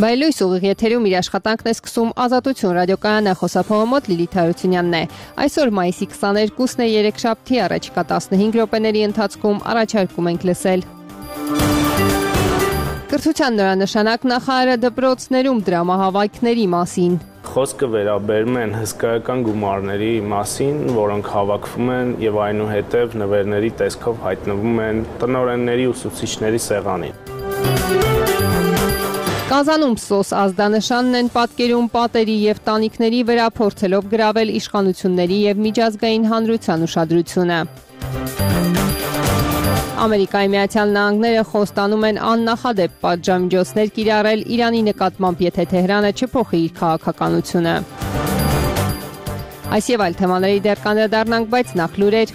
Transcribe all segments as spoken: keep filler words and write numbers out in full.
Բայլույս ուղիղ եթերում իր աշխատանքն է սկսում Ազատություն ռադիոկայանը, խոսափողը մոտ Լիլիթ Հարությունյանն է։ Այսօր մայիսի քսաներկուսն է, երեքշաբթի, առաջիկա տասնհինգ րոպեների ընթացքում առաջարկում ենք լսել։ Կրթության նորանշանակ նախարարը դպրոցներում դրամահավաքների մասին։ Խոսքը վերաբերում են հսկայական գումարների մասին, որոնք հավաքվում են եւ այնուհետեւ նվերների տեսքով հայտնվում են տնօրենների ուսուցիչների սեղանին։ Կազանում սոս ազդանշանն են պատկերում պատերի եւ տանիքների վրա, փորձելով գրավել իշխանությունների եւ միջազգային հանրության ուշադրությունը։ Ամերիկայի Միացյալ Նահանգները խոստանում են աննախադեպ պատժամիջոցներ կիրառել Իրանի նկատմամբ, եթե Թեհրանը չփոխի իր քաղաքականությունը։ Այս եւ այլ թեմաների դեռ կանդրադառնանք, բայց նախ լուրեր։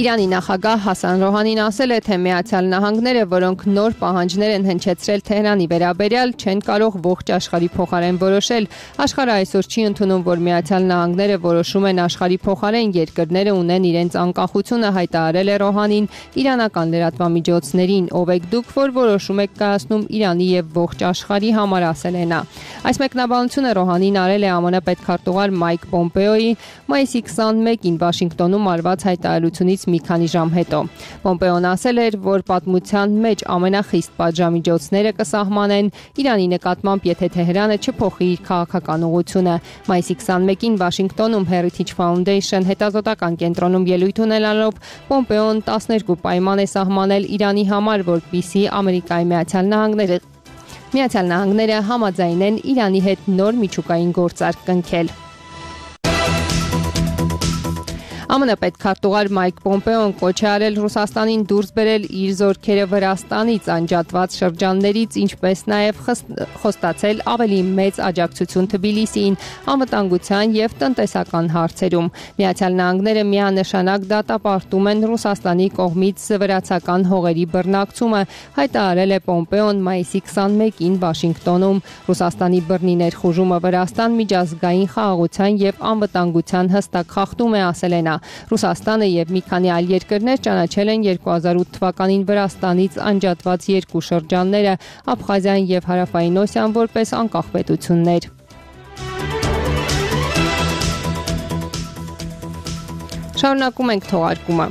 Իրանի նախագահ Հասան Ռոհանին ասել է, թե Միացյալ Նահանգները, որոնք նոր պահանջներ են հնչեցրել Թեհրանի վերաբերյալ, չեն կարող ողջ աշխարհի փոխարեն որոշել։ Աշխարհը այսօր չի ընդունում, որ Միացյալ Նահանգները որոշում են աշխարհի փոխարեն, երկրները ունեն իրենց անկախությունը, հայտարարել է Ռոհանին իրանական լրատվամիջոցներին։ Ով եք դուք, որ որոշում եք կայացնում Իրանի եւ ողջ աշխարհի համար, ասել է նա։ Այս մեկնաբանությունը Ռոհանին արել է ԱՄՆ պետքարտուղար Մայք Պոմպեոյի մայիսի քսաներկուին Վաշինգտոնում արված հայտարարությունից մի քանի ժամ հետո։ Պոմպեոն ասել էր, որ պատմության մեջ ամենախիստ պատժամիջոցները կսահմանեն Իրանի նկատմամբ, եթե Թեհրանը չփոխի իր քաղաքական ուղղությունը։ Մայիսի քսաներկուին Վաշինգտոնում Heritage Foundation հետազոտական կենտրոնում ելույթ ունենալով Պոմպեոն տասներկու պայման է սահմանել Իրանի համար, որպեսզի Ամերիկայի Միացյալ Նահանգները Միացյալ Նահանգները համաձայնեն Իրանի հետ նոր միջուկային գործարք կնքել։ ԱՄՆ պետքարտուղար Մայք Պոմպեոն կոչ է արել Ռուսաստանին դուրս բերել իր զորքերը Վրաստանից անջատված շրջաններից, ինչպես նաև խոստացել ավելի մեծ աջակցություն Թբիլիսիին անվտանգության եւ տնտեսական հարցերում։ Միացյալ Նահանգները միանշանակ դատապարտում են Ռուսաստանի կողմից վրացական հողերի բռնակցումը, հայտարարել է Պոմպեոն մայիսի քսաներկուին Վաշինգտոնում։ Ռուսաստանի բռնի ներխուժումը Վրաստան միջազգային խաղաղության եւ անվտանգության հստակ խախտում է, ասել է նա։ Ռուսաստանը եւ մի քանի այլ երկրներ ճանաչել են երկու հազար ութ թվականին Վրաստանից անջատված երկու շրջանները՝ Աբխազիան եւ Հարավային Օսիան, որպես անկախ պետություններ։ Շարունակում ենք թողարկումը։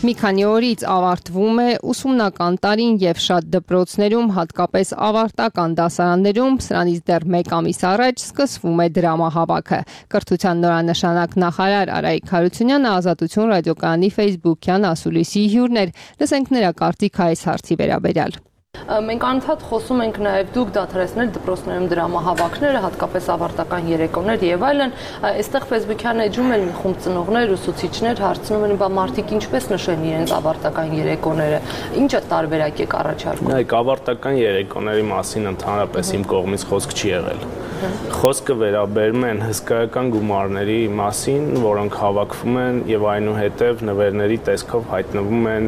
Մի քանի օրից ավարտվում է ուսումնական տարին եւ շատ դպրոցներում, հատկապես ավարտական դասարաններում, սրանից դեռ մեկ ամիս առաջ սկսվում է դրամահավաքը։ Կրթության նորանշանակ նախարար Արայիկ Հարությունյանը Ազատություն ռադիոկայանի Facebook-յան ասուլիսի հյուրն էր։ Լսենք նրա կարծիքը այս հարցի վերաբերյալ։ Մենք անընդհատ խոսում ենք նաև դուք դադարեցնել դպրոցներում դրամահավաքները, հատկապես ավարտական երեկոներ եւ այլն։ Այստեղ Facebook-յան էջում էլ մի խումբ ծնողներ, ուսուցիչներ հարցնում են, բա մարդիկ ինչպես նշեն իրենց ավարտական երեկոները, ինչ տարբերակ եք առաջարկում։ Նայեք, ավարտական երեկոների մասին ընդհանրապես իմ կողմից խոսք չի եղել։ Խոսքը վերաբերում են հսկայական գումարների մասին, որոնք հավաքվում են եւ այնուհետեւ նվերների տեսքով հայտնվում են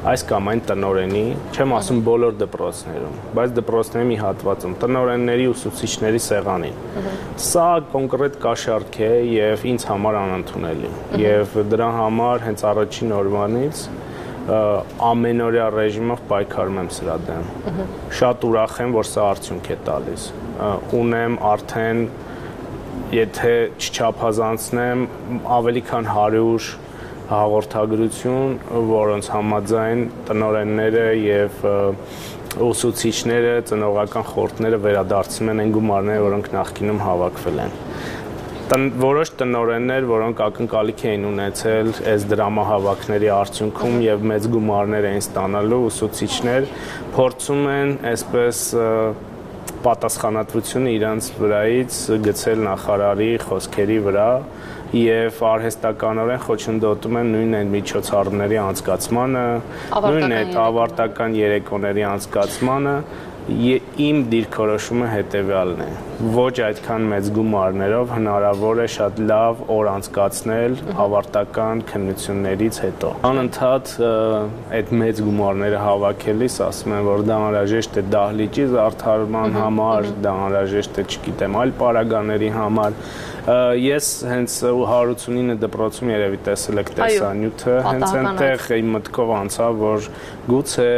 այս կամ այն տնօրենի, չեմ ասում բոլոր դպրոցներում, բայց դպրոցների մի հատվածում, տնօրենների ուսուցիչների սեղանին։ Սա կոնկրետ կաշառք է եւ ինձ համար անընդունելի։ Եվ դրա համար հենց առաջին օրվանից ամենօրյա ռեժիմով պայքարում եմ սրա դեմ։ Շատ ուրախ եմ, որ սա արդյունք է տալիս։ Ունեմ արդեն, եթե չչափազանցնեմ, ավելի քան հարյուր հաղորդագրություն, որոնց համաձայն տնօրենները եւ ուսուցիչները, ծնողական խորհուրդները վերադարձնում են այն գումարները, որոնք նախկինում հավաքվել են։ Որոշ տնօրեններ, որոնք ակնկալիք էին ունեցել այս դրամահավաքների արդյունքում եւ մեծ գումարներ էին ստանալու, ուսուցիչներ փորձում են այսպես պատասխանատվությունը իրանց վրայից գցել նախարարի խոսքերի վրա եւ արհեստականորեն խոչընդոտում են նույն այն միջոցառումների անցկացմանը, նույն այդ ավարտական երեկոների անցկացմանը Իմ դիրքորոշումը հետևյալն է. ոչ այդքան մեծ գումարներով հնարավոր է շատ լավ օր անցկացնել ավարտական քննություններից հետո։ Անընդհատ այդ մեծ գումարները հավաքելիս ասում են, որ դա անհրաժեշտ է դահլիճի զարդարման համար, դա անհրաժեշտ է, չգիտեմ, այլ պարագաների համար։ Ես հենց հարյուր ութանինը դպրոցում երևի տեսել եք տեսանյութը, հենց այնտեղ իմ մտքով անցավ, որ գուցե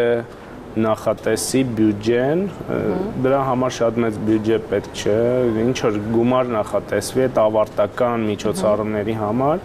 նախատեսի բյուջեն, դրա համար շատ մեծ բյուջե պետք չէ, ինչ որ գումար նախատեսվի այդ ավարտական միջոցառումների համար։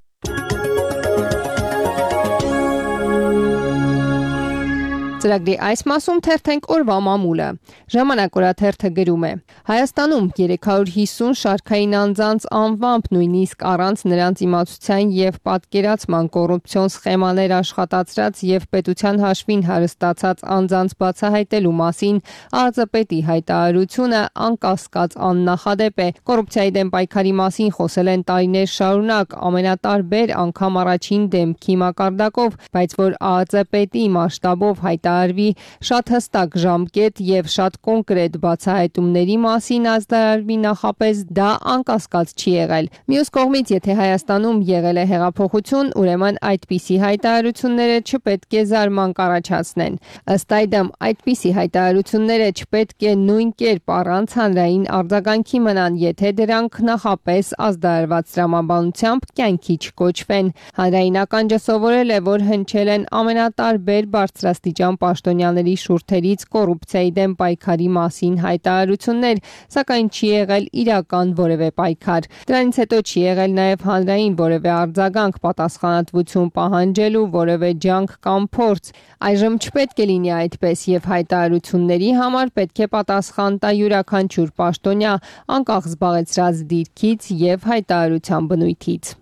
Ծրագրի այս մասում թերթենք օրվա մամուլը։ Ժամանակ օրաթերթը գրում է. Հայաստանում երեք հարյուր հիսուն շարքային անձանց անվամբ, նույնիսկ առանց նրանց իմացության եւ պատկերացման կոռուպցիոն սխեմաներ աշխատացրած եւ պետության հաշվին հարստացած անձանց բացահայտելու մասին ԱԾՊԵՏ-ի հայտարարությունը անկասկած աննախադեպ է։ Կոռուպցիայի դեմ պայքարի մասին խոսել են տարիներ շարունակ, ամենատարբեր, անգամ առաջին դեմքի մակարդակով, բայց որ ԱԾՊԵՏ-ի մասշտաբով հայտարարությունը արվի շատ հստակ ժամկետ եւ շատ կոնկրետ բացահայտումների մասին ազդարարվի նախապես դա անկասկած չի եղել։ Մյուս կողմից, եթե Հայաստանում եղել է հեղափոխություն, ուրեմն այդպիսի հայտարարությունները չպետք է զարմանք առաջացնեն։ Ըստ այդմ, այդպիսի հայտարարությունները չպետք է նույն կերպ առանց հանրային արձագանքի մնան, եթե դրանք նախապես ազդարարված տրամաբանությամբ կյանքի չկոչվեն։ Հանրային ականջը սովորել է, որ հնչել են ամենատարբեր բարձրաստիճան պաշտոնյաների շուրթերից կոռուպցիայի դեմ պայքարի մասին հայտարարություններ, սակայն չի եղել իրական որևէ պայքար։ Դրանից հետո չի եղել նաև հանրային որևէ արձագանք, պատասխանատվություն պահանջելու որևէ ջանք կամ փորձ։ Այժմ չպետք է լինի այդպես եւ հայտարարությունների համար պետք է պատասխան տա յուրաքանչյուր պաշտոնյա, անկախ զբաղեցրած դիրքից եւ հայտարարության բնույթից։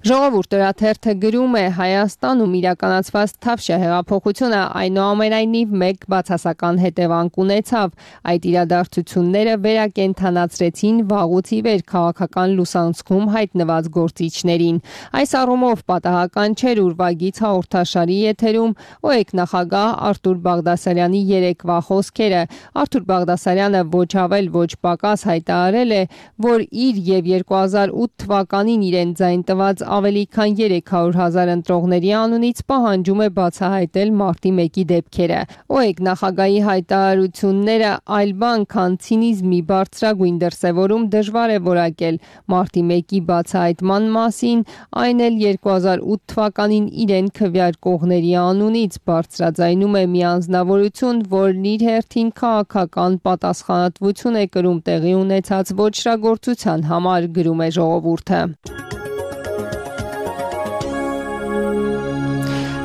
Ժողովուրդ օրաթերթը գրում է. Հայաստանում իրականացված Թավշյա հեղափոխությունը այնուամենայնիվ մեկ բացասական հետևանք ունեցավ։ Այդ իրադարձությունները վերակենդանացրեցին վաղուց ի վեր քաղաքական լուսանցքում հայտնված գործիչներին։ Այս առումով պատահական չէր ուրվագից հաղորդաշարի եթերում ՕԵԿ նախագահ Արթուր Բաղդասարյանի երեկվա խոսքերը։ Արթուր Բաղդասարյանը ոչ ավել ոչ պակաս հայտարարել է, որ իր եւ երկու հազար ութ թվականին իրեն ձայն տված ավելի քան երեք հարյուր հազար ընտրողների անունից պահանջում է բացահայտել մարտի մեկի դեպքերը։ ՕԵԿ նախագահի հայտարարությունները այլ բան, քան ցինիզմի բարձրագույն դրսևորում դժվար է որակել մարտի մեկի բացահայտման մասին, այն էլ երկու հազար ութ թվականին իրեն քվեարկողների անունից բարձրաձայնում է մի անձնավորություն, որն իր հերթին քաղաքական պատասխանատվություն է կրում տեղի ունեցած ոճրագործության համար, գրում է ժողովուրդը։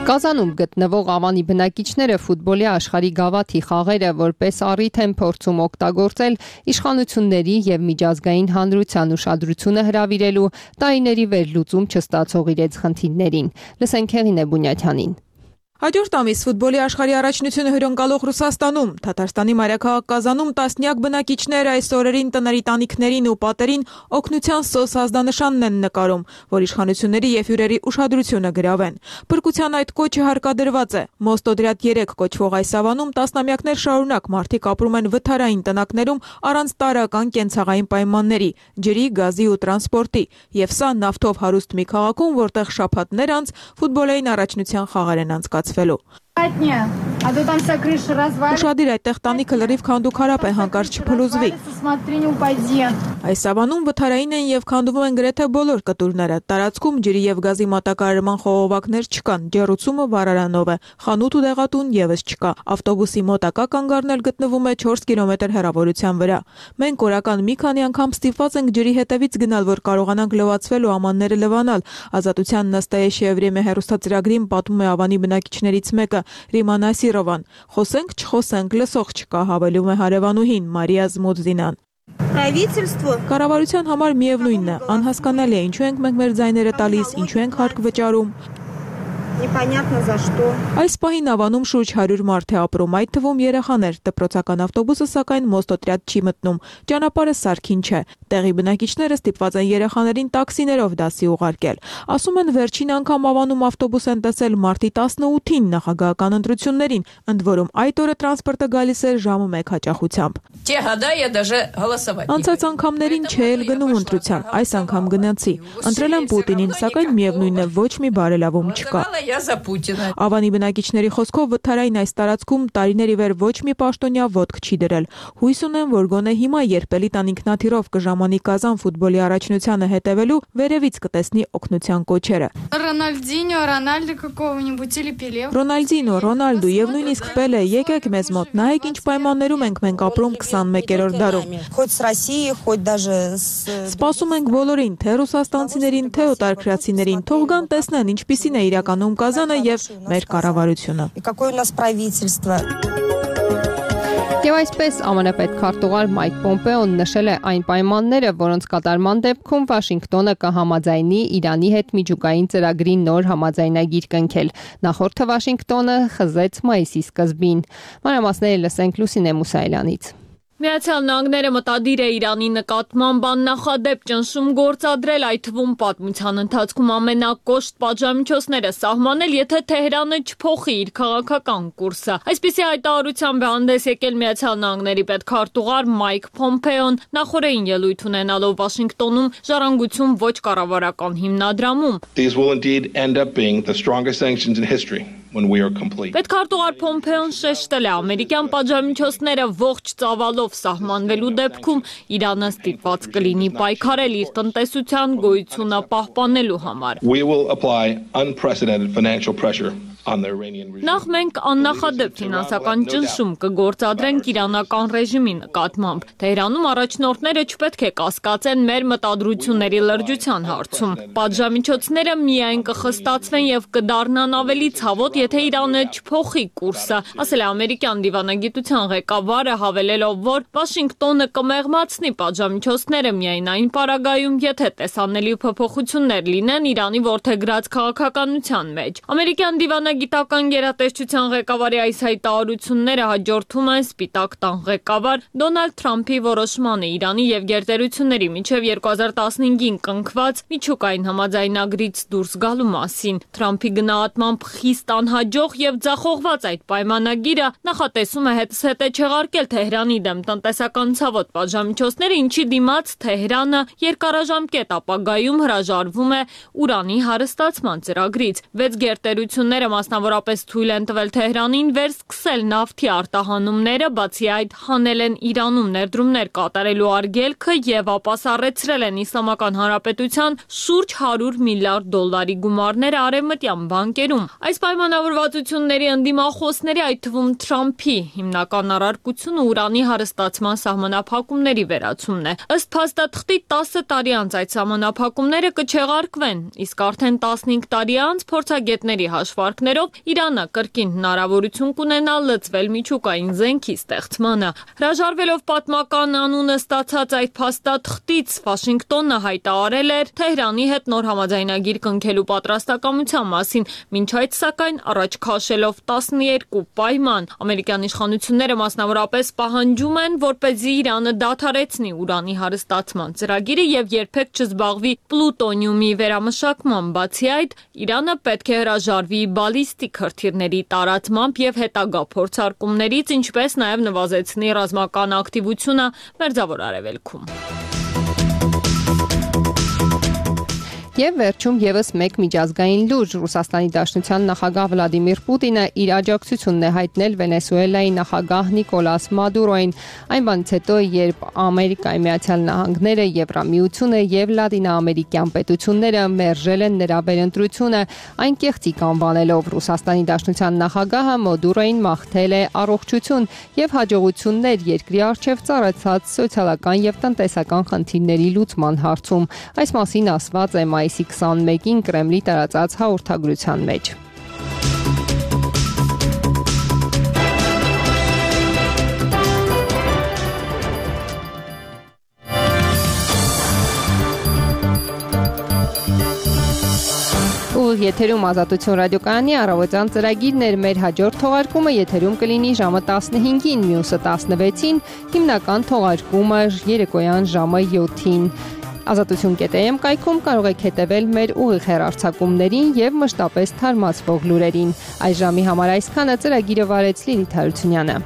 Կազանում գտնվող Ավանի բնակիչները ֆուտբոլի աշխարհի գավաթի խաղերը որպես առիթ են փորձում օգտագործել իշխանությունների եւ միջազգային հանրության ուշադրությունը հրավիրելու տարիների վերլուծում չստացող իրենց խնդիրներին։ Լսենք Հեղինե Բունյաթյանին։ Հաջորդ ամիս ֆուտբոլի աշխարհի առաջնությունը հյուրընկալող Ռուսաստանում, Թաթարստանի մայրաքաղաք Կազանում տասնյակ բնակիչներ այս օրերին տների տանիքներին ու պատերին օգնության սոս ազդանշանն են նկարում, որ իշխանությունների եւ հյուրերի ուշադրությունը գրավեն։ Փրկության այդ կոչը հարկադրված է։ Մոստոդրատ երեք կոչվող այս ավանում տասնամյակներ շարունակ մարդիկ ապրում են վթարային տնակներում առանց տարրական կենցաղային պայմանների, ջրի, գազի ու տրանսպորտի, եւ սա նավթով հարուստ մի քաղաքում, որտեղ շաբաթներ անց ֆուտբոլային առաջնության խաղեր են անցկացվել։ Ուշադիր այդտեղ տանիքը լրիվ քանդուքարապ է, հանկարծ չփլուզվի։ Այս ավանում վթարային են եւ քանդվում են գրեթե բոլոր կտուրները։ Տարածքում ջրի եւ գազի մատակարարման խողովակներ չկան, ջեռուցումը վառարանով է, խանութ ու դեղատուն եւս չկա։ Ավտոբուսի մոտակա կանգառնել գտնվում է չորս կիլոմետր հեռավորության վրա։ Մենք օրական մի քանի անգամ ստիպված ենք ջրի հետևից գնալ, որ կարողանանք լվացվել ու ամանները լվանալ։ Ազատության նստաեշիե վրեմե հեռուստածրագրին պատմում է Ավանի բնակիչներից մեկը, Ռիմա Նասիրովան։ Խոսենք, չխոսենք, լսող չկա, հավելում է հարևանուհին Մարիա Զմոդզինան։ Կառավարության համար միևնույնն է, անհասկանալի է, ինչու ենք մենք մեր ձայները տալիս, ինչու ենք հարկ վճարում։ Непонятно за что. Այս պահին Ավանում շուրջ հարյուր մարդ է ապրում, այդ թվում երեխաներ, դպրոցական ավտոբուսը սակայն մոստոտրյադ չի մտնում, ճանապարհը սարքին չէ։ Տեղի բնակիչները ստիպված են երեխաներին տաքսիներով դասի ուղարկել։ Ասում են վերջին անգամ Ավանում ավտոբուս են տեսել մարտի տասնութին նախագահական ընտրություններին, ընդ որում այդ օրը տրանսպորտը գալիս էր ժամը մեկ հաճախությամբ։ Անցած անգամներին չէ էլ գնում ընտրության, այս անգամ գնացի։ Ընտրել եմ Պուտինին, սակայն միևնույն է ոչ մի բարելավում չկա։ Ավանի բնակիչների խոսքով վթարային այս տարածքում տարիների վեր ոչ մի պաշտոնյա ոտք չի դրել։ Հույս ունեն, որ գոնե հիմա երբ Էլիտան ինքնաթիռով կժամանի Կազան ֆուտբոլի առաջնությանը հետևելու, վերևից կտեսնի օգնության կոչերը։ Ռոնալդինյո, Ռոնալդո какого-нибудь или Пеле։ Ռոնալդինո, Ռոնալդո եւ նույնիսկ Պելե, եկեք մեզ մոտ, նայեք ինչ պայմաններում ենք մենք ապրում քսանմեկերորդ դարում։ Хоть с Россией, хоть даже с Սպասում ենք բոլորին, թե ռուսաստանցիներին, թե օտարքրացիներին, թող գան տեսնեն ինչպիսին է իրականում Կազանը եւ մեր կառավարությունը։ какое у нас правительство։ Եվ այսպես ԱՄՆ պետքարտուղար Մայք Պոմպեոն նշել է այն պայմանները, որոնց կատարման դեպքում Վաշինգտոնը կհամաձայնի Իրանի հետ միջուկային ծրագրի նոր համաձայնագիր կնքել։ Նախորդը Վաշինգտոնը խզեց մայիսի սկզբին։ Մանրամասները լսենք Լուսինե Մուսայելյանից։ Միացյալ Նահանգները մտադիր է Իրանի նկատմամբ աննախադեպ ճնշում գործադրել, այդ թվում պատմության ընթացքում ամենակոշտ պատժամիջոցները սահմանել, եթե Թեհրանը չփոխի իր քաղաքական կուրսը։ Այսպիսի հայտարարությամբ է հանդես եկել Միացյալ Նահանգների պետքարտուղար Մայք Պոմպեոն նախորդին ելույթ ունենալով Վաշինգտոնում ժառանգություն ոչ կառավարական հիմնադրամում։ These will indeed end up being the strongest sanctions in history. When we are complete. Պետքարտուղար Պոմպեոն շեշտել է ամերիկյան պատժամիջոցները ողջ ծավալով սահմանվելու դեպքում Իրանը ստիպված կլինի պայքարել իր տնտեսության գոյությունը պահպանելու համար։ We will apply unprecedented financial pressure on the Iranian regime. Նախ մենք աննախադեպ ֆինանսական ճնշում կգործադրենք իրանական ռեժիմի նկատմամբ։ Թեհրանում առաջնորդները չպետք է կասկածեն մեր մտադրությունների լրջության հարցում։ Պատժամիջոցները միայն կխստացվեն եւ կդառնան ավելի ցավոտ, եթե Իրանը չփոխի կուրսը, ասել է ամերիկյան դիվանագիտության ղեկավարը, հավելելով, որ Վաշինգտոնը կմեղմացնի պատժամիջոցները միայն այն պարագայում, եթե տեսանելի փոփոխություններ լինեն Իրանի որդեգրած քաղաքականության մեջ։ Ամերիկյան դիվանագիտական գերատեսչության ղեկավարի այս հայտարարությունները հաջորդում են Սպիտակ տան ղեկավար Դոնալդ Թրամփի որոշմանը Իրանի եւ գերտերությունների միջև երկու հազար տասնհինգին կնքված միջուկային համաձայնագրից դուրս գալու մասին։ Թրամփի գնահատմամբ խիստ անհաջող եւ ձախողված այդ պայմանագիրը նախատեսում է հետզհետե չեղարկել Թեհրանի դեմ տնտեսական ցավոտ պատժամիջոցները, ինչի դիմաց Թեհրանը երկարաժամկետ ապագայում հրաժարվում է ուրանի հարստացման ծրագրից։ Վեց գերտերությունները մասնավորապես թույլ են տվել Թեհրանին վերսկսել նավթի արտահանումները, բացի այդ հանել են Իրանում ներդրումներ կատարելու արգելքը եւ ապասառեցրել են Իսլամական Հանրապետության շուրջ հարյուր միլիարդ դոլարի գումարները արևմտյան բանկերում։ Այս պայմանավորվածությունների ընդդիմախոսների, այդ թվում Թրամփի հիմնական առարկությունը ուրանի հարստացման սահմանափակումների վերացումն է։ Ըստ փաստաթղթի տասը տարի անց այդ սահմանափակումները կչեղարկվեն, իսկ արդեն տասնհինգ տարի անց փորձագետների հաշվարկներով Իրանը կրկին հնարավորություն կունենա լծվել միջուկային զենքի ստեղծմանը։ Հրաժարվելով պատմական անունը ստացած այդ փաստաթղթից Վաշինգտոնը հայտարարել էր Թեհրանի հետ նոր համաձայնագիր կնքելու պատրաստակամության մասին, մինչ այդ սակայն առաջ քաշելով տասներկու պայման։ Ամերիկյան իշխանությունները մասնավորապես պահանջում են, որպեսզի Իրանը դադարեցնի ուրանի հարստացման ծրագիրը եւ երբեք չզբաղվի պլուտոնիումի վերամշակման, բացի այդ Իրանը պետք է հրաժարվի բալիստիկ հրթիռների տարածմամբ եւ հետագա փորձարկումներից, ինչպես նաեւ նվազեցնի ռազմական ակտիվությունը Մերձավոր Արևելքում։ Եվ վերջում եւս մեկ միջազգային լուր Ռուսաստանի Դաշնության նախագահ Վլադիմիր Պուտինը իր աջակցությունն է հայտնել Վենեսուելայի նախագահ Նիկոլաս Մադուրոին այն բանից հետո, երբ Ամերիկայի Միացյալ Նահանգները, Եվրամիությունը եւ լատինաամերիկյան պետությունները մերժել են նրա վերընտրությունը, այն կեղծիք անվանելով Ռուսաստանի Դաշնության նախագահը Մադուրոին մաղթել է առողջություն եւ հաջողություններ երկրի առջեւ ծառացած սոցիալական եւ տնտեսական խնդիրների լուծման հարցում։ Այս մասին ասված է մայիսի քսանմեկին Կրեմլի տարածած հաղորդագրության մեջ։ ուղիղ եթերում Ազատություն ռադիոկայանի առավոտյան ծրագիրն էր։ Մեր հաջորդ թողարկումը եթերում կլինի ժամը տասնհինգին, մյուսը տասնվեցին, հիմնական թողարկումը երեկոյան ժամը յոթին։ Ազատություն.am կայքում կարող եք հետևել մեր ուղիղ հեռարձակումներին եւ մշտապես թարմացվող լուրերին։ Այս ժամի համար այսքանը ծրագիրը վարեց Լիլիթ Հարությունյանը։